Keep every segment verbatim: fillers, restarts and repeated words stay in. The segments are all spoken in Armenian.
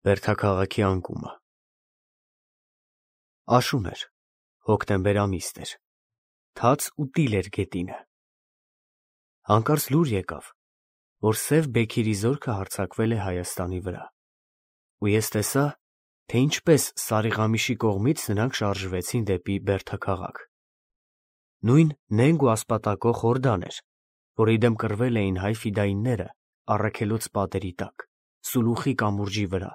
Բերդաքաղաքի անկումը Աշուն էր, հոկտեմբեր ամիսն էր, թաց ու տիլ էր գետինը։ Հանկարծ լուր եկավ, որ Սև Բեքիրի զորքը հարձակվել է Հայաստանի վրա, ու ես տեսա, թե ինչպես Սարիղամիշի կողմից նրանք շարժվեցին դեպի Բերդաքաղաք։ Նույն նենգ ու ասպատակող Հորդան էր, որի դեմ կռվել էին հայ ֆիդայինները Առաքելոց պատերի տակ, Սուլուխի կամուրջի վրա,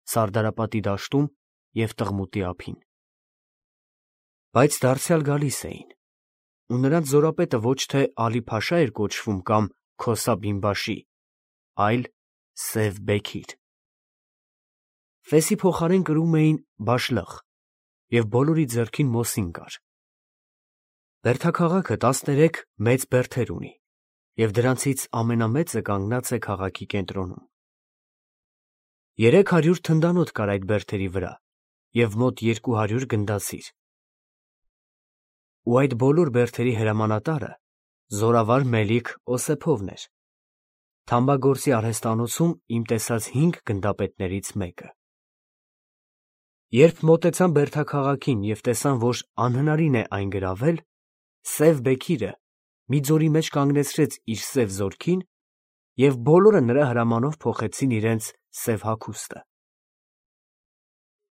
Սարդարապատի դաշտում և Տղմուտի ափին։ Բայց դարձյալ գալիս էին, ու նրանց զորապետը ոչ թե Ալի֊Փաշա էր կոչվում կամ Քոսա Բինբաշի, այլ Սև Բեքիր։ Ֆեսի փոխարեն կրում էին Բաշլըխ, և բոլորի ձեռքին Մոսին կար։ Բերդաքաղաքը տասներեք մեծ բերդեր ունի, և դրանցից ամենամեծը կանգնած է քաղաքի կենտրոնում։ Երեք հարյուր թնդանոթ կար այդ բերդերի վրա և մոտ երկու հարյուր գնդացիր։ Ու այդ բոլոր բերդերի հրամանատարը զորավար Մելիք Օսեփովն էր, թամբագործի արհեստանոցում իմ տեսած հինգ գնդապետներից մեկը։ Երբ մոտեցան Բերդաքաղաքին և տեսան, որ անհնարին է այն գրավել, Սև Բեքիրը մի ձորի մեջ կանգնեցրեց իր սև զորքին, և բոլորը նրա հրամանով փոխեցին իրենց սև հագուստը։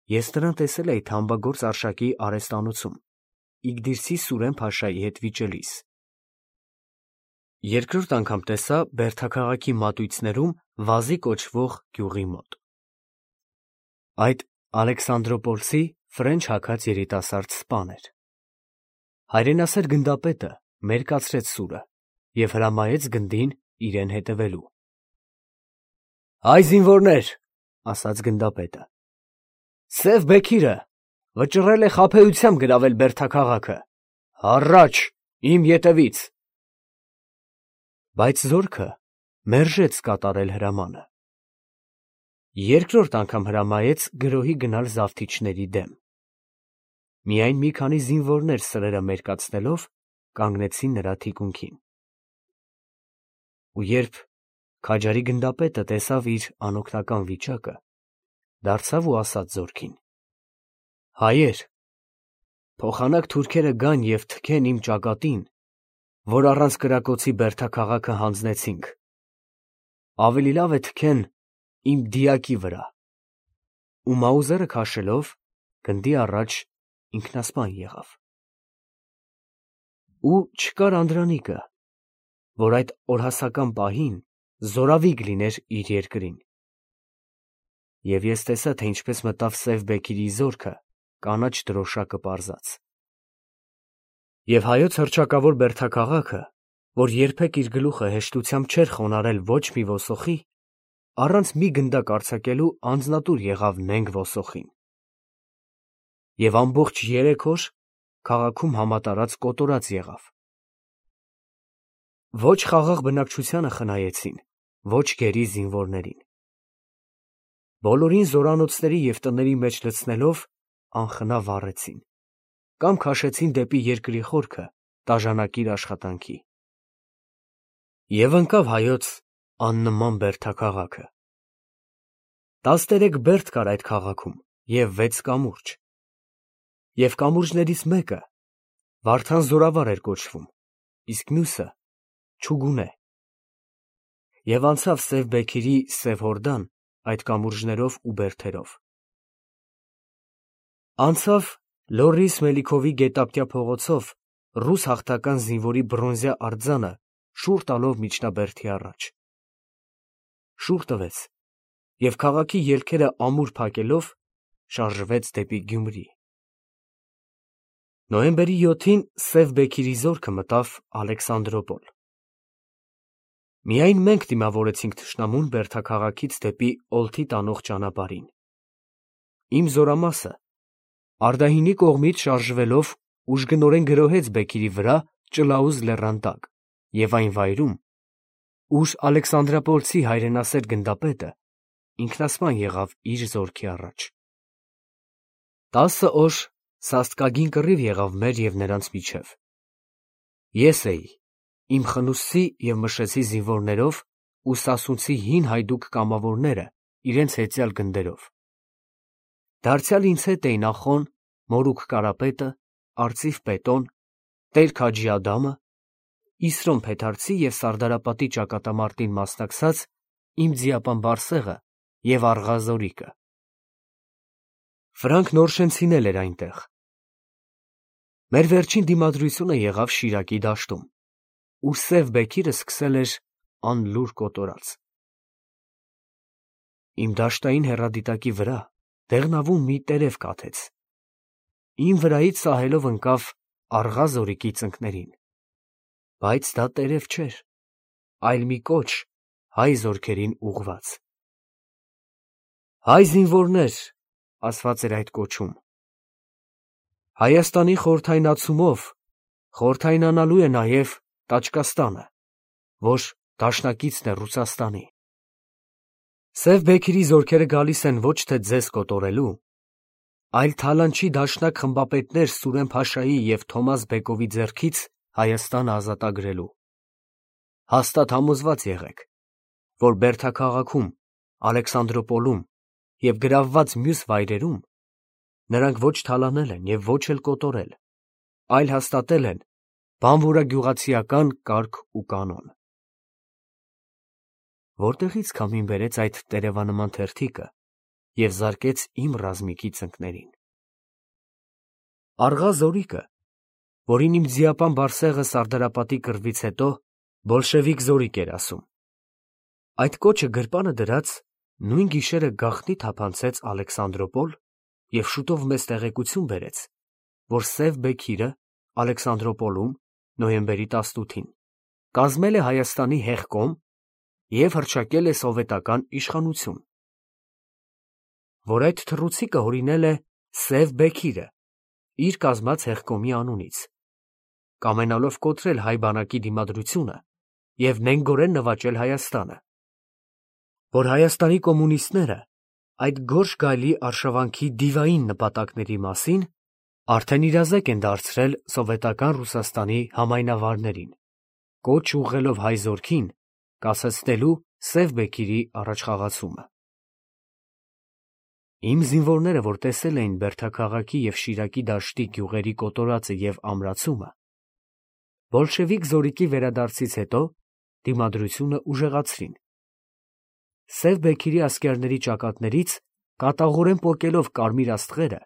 Ես նրան տեսել էի թամբագործ Արշակի արհեստանոցում, Իգդիրսի Սուրեն֊փաշայի հետ վիճելիս։ Երկրորդ անգամ տեսա Բերդաքաղաքի մատույցներում Վազի կոչվող գյուղի մոտ։ Այդ Ալեքսանդրոպոլսի ֆրենչ հագած երիտասարդ սպան էր։ Հայրենասեր գնդապետը մերկացրեց սուրը և հրամայեց գնդին իրեն հետևելու։ «Հայ զինվորներ, ֊ ասաց գնդապետը, ֊ Սև Բեքիրը վճռել է խաբեությամբ գրավել Բերդաքաղաքը, առաջ, իմ ետևից»։ Բայց զորքը մերժեց կատարել հրամանը։ Երկրորդ անգամ հրամայեց գրոհի գնալ զավթիչների դեմ։ Միայն մի քանի զինվորներ սրերը մերկացնելով կանգնեցին նրա թիկունքին։ Ու երբ քաջարի գնդապետը տեսավ իր անօգնական վիճակը, դարձավ ու ասաց զորքին. «Հայեր, փոխանակ թուրքերը գան և թքեն իմ ճակատին, որ առանց կրակոցի Բերդաքաղաքը հանձնեցինք, ավելի լավ է թքեն իմ դիակի վրա»։ Ու մաուզերը քաշելով, գնդի առաջ ինքնասպան եղավ։ Ու չկար անդրանիկը, որ այդ օրհասական պահին զորավիգ լիներ իր երկրին։ Եվ ես տեսա, թե ինչպես մտավ Սև Բեքիրի զորքը կանաչ դրոշակը պարզած։ Եվ հայոց հռչակավոր Բերդաքաղաքը, որ երբեք իր գլուխը հեշտությամբ չէր խոնարհել ոչ մի ոսոխի, առանց մի գնդակ արձակելու անձնատուր եղավ նենգ ոսոխին։ Եվ ամբողջ երեք օր քաղաքում համատարած կոտորած եղավ։ Ոչ խաղաղ բնակչությանը խնայեցին, ոչ գերի զինվորներին։ Բոլորին զորանոցների և տների մեջ լցնելով անխնա վառեցին, կամ քաշեցին դեպի երկրի խորքը տաժանակիր աշխատանքի։ Եվ ընկավ հայոց աննման Բերդաքաղաքը։ Տասներեք բերդ կար այդ քաղաքում և վեց կամուրջ։ Եվ կամուրջներից մեկը Վարդան զորավար էր կոչվում, իսկ մյուսը՝ Չուգունե։ Եվ անցավ Սև Բեքիրի Սև Հորդան այդ կամուրջներով ու բերդերով։ Անցավ Լոռիս Մելիքովի գետափտյա փողոցով ռուս հաղթական զինվորի բրոնզյա արձանը շուռ տալով միջնաբերդի առաջ։ Շուռ տվեց և քաղաքի ելքերը ամուր փակելով շարժվեց դեպի Գյումրի։ Նոյեմբերի յոթին Սև Բեքիրի զորքը մտավ Ալեքսանդրոպոլ։ Միայն մենք դիմավորեցինք թշնամուն Բերդաքաղաքից դեպի օլթի տանող ճանապարհին։ Իմ զորամասը Արդահինի կողմից շարժվելով ուժգնորեն գրոհեց Բեքիրի վրա Ճլաուզ լեռան տակ և այն վայրում, ուր Ալեքսանդրապոլցի հայրենասեր գնդապետը ինքնասպան եղավ իր զորքի առաջ։ Տասը օր սաստկագին կռիվ եղավ մեր և նրանց միջև։ Ես էի իմ խնուստի և Մշեցի զինվորներով ու Սասունցի հին հայդուկ կամավորները իրենց հեծյալ գնդերով։ Դարձյալ ինձ հետ էին Ախոն, Մորուք Կարապետը, Արծիվ Պետոն, Տեր Քաջի Ադամը, Իսրոն Փեթարցի և Սարդարապատի ճակատամարտին մասնակցած իմ ձիապան Բարսեղը և Աղա Զորիկը։ Ֆրանկ Նորշենցին էլ էր այնտեղ։ Մեր վերջին դիմադրությունը եղավ Շիրակի դաշտում, ուր Սև Բեքիրը սկսել էր անլուր կոտորած։ Իմ դաշտային հեռադիտակի վրա դեղնավուն մի տերև կաթեց։ Իմ վրայից սահելով ընկավ Աղա Զորիկի ծնկներին, բայց դա տերև չէր, այլ մի կոչ հայ զորքերին ուղղված։ «Հայ զինվորներ», ասված էր այդ կոչում, «Հայաստանի խորհրդայնացումով խորհրդայնանալու է նաև Տաճկաստանը, որ դաշնակիցն է Ռուսաստանի։ Սև Բեքիրի զորքերը գալիս են ոչ թե ձեզ կոտորելու, այլ Թալանչի դաշնակ խմբապետներ Սուրեն֊փաշայի և Թոմաս Բեկովի ձեռքից Հայաստանը ազատագրելու։ Հաստատ համոզված եղեք, որ Բերդաքաղաքում, Ալեքսանդրոպոլում և գրավված մյուս վայրերում նրանք ոչ թալանել են և ոչ էլ կոտորել, այլ հաստատել են բանվորագյուղացիական կարգ ու կանոն»։ Որտեղի՞ց քամին բերեց այդ տերևանման թերթիկը և զարկեց իմ ռազմիկի ծնկներին։ Աղա Զորիկը, որին իմ ձիապան Բարսեղը Սարդարապատի կռվից հետո բոլշևիկ Զորիկ էր ասում, այդ կոչը գրպանը դրած նույն գիշերը գաղտնի թափանցեց Ալեքսանդրոպոլ և շուտով մեզ տեղեկություն բերեց, որ Սև Բեքիրը Ալեքսանդրոպոլում նոյեմբերի տասնութին կազմել է Հայաստանի հեղկոմ և հռչակել է սովետական իշխանություն, որ այդ թռուցիկը հորինել է Սև Բեքիրը իր կազմած հեղկոմի անունից, կամենալով կոտրել հայ բանակի դիմադրությունը և նենգորեն նվաճել Հայաստանը, որ Հայաստանի կոմունիստները այդ գորշ գայլի արշավանքի դիվային նպատակների մասին արդեն իրազեկ են դարձրել սովետական Ռուսաստանի համայնավարներին, կոչ ուղղելով հայ զորքին կասեցնելու Սև Բեքիրի առաջխաղացումը։ Իմ զինվորները, որ տեսել էին Բերդաքաղաքի և Շիրակի դաշտի գյուղերի կոտորածը և ամրացումը, բոլշևիկ Զորիկի վերադարձից հետո դիմադրությունը ուժեղացրին, Սև Բեքիրի ասկերների ճակատներից կատաղորեն պոկելով կարմիր աստղերը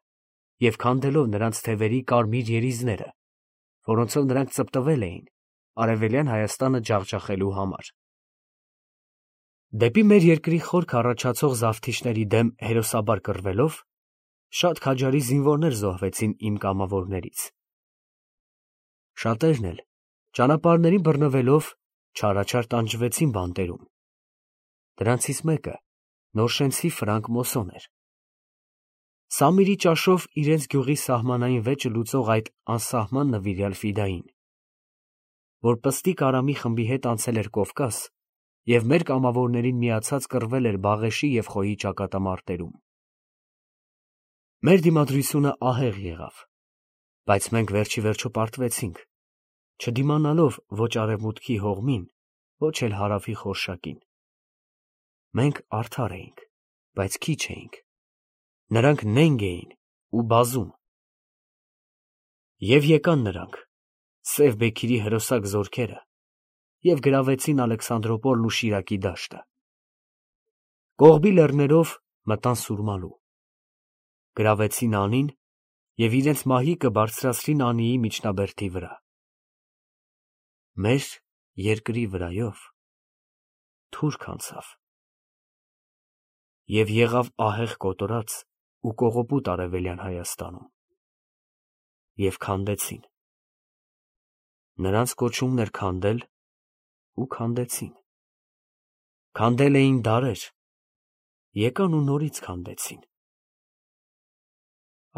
և քանդելով նրանց թևերի կարմիր երիզները, որոնցով նրանք ծպտվել էին արևելյան Հայաստանը ջախջախելու համար։ Դեպի մեր երկրի խորքը առաջացող զավթիչների դեմ հերոսաբար կռվելով, շատ քաջարի զինվորներ զոհվեցին իմ կամավորներից։ Շատերն էլ ճանապարհներին բռնվելով չարաչար տանջվեցին բանտերում։ Դրանցից մեկը Նորշենցի Ֆրանկ Մոսոն էր։ Սամիրի ճաշով իրենց գյուղի սահմանային վեճը լուծող այդ անսահման նվիրյալ ֆիդային, որ Պստիկ Արամի խմբի հետ անցել էր Կովկաս և մեր կամավորներին միացած կռվել էր Բաղեշի և Խոյի ճակատամարտերում։ Մեր դիմադրությունը ահեղ եղավ, բայց մենք վերջիվերջո պարտվեցինք, չդիմանալով ոչ արևմուտքի հողմին, ոչ էլ հարավի խորշակին։ Մենք արդար էինք, բայց քիչ էինք, նրանք նենգ էին ու բազում։ Եվ եկան նրանք, Սև Բեքիրի հրոսակ զորքերը, և գրավեցին Ալեքսանդրոպոլն ու Շիրակի դաշտը։ Կողբի լեռներով մտան Սուրմալու, գրավեցին Անին և իրենց մահիկը բարձրացրին Անիի միջնաբերդի վրա։ Մեր երկրի վրայով թուրք անցավ և եղավ ահեղ կոտորած ու կողոպուտ արևելյան Հայաստանում, և քանդեցին։ Նրանց կոչումն էր քանդել ու քանդեցին։ Քանդել էին դարեր, եկան ու նորից քանդեցին։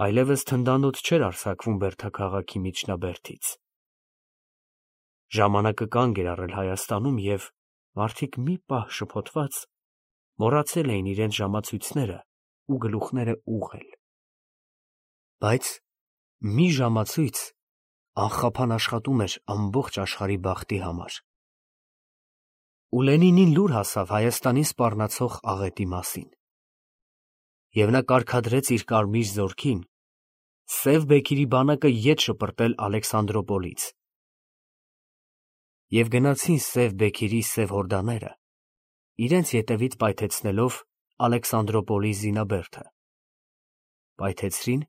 Այլևս թնդանոթ չէր արձակվում Բերդաքաղաքի միջնաբերդից։ Ժամանակը կանգ էր առել Հայաստանում, և մարդիկ մի պահ շփոթված մոռացել էին իրենց ժամացույցները ու գլուխները ուղղել։ Բայց մի ժամացույց անխափան աշխատում էր ամբողջ աշխարհի բախտի համար։ Ու Լենինին լուր հասավ Հայաստանին սպառնացող աղետի մասին։ և նա կարգադրեց իր կարմիր զորքին Սև Բեքիրի բանակը ետ շպրտել Ալեքսանդրոպոլից։ Եվ գնացին Սև Բեքիրի սև հորդաները, իրենց ետևից պայթեցնելով Ալեքսանդրոպոլի զինաբերդը, պայթեցրին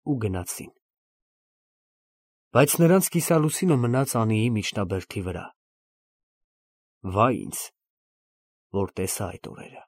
ու գնացին։ Բայց նրանց կիսալուսինը մնաց անիի միջնաբերդի վրա։ Վայ ինձ, որ տեսա այդ օրերը։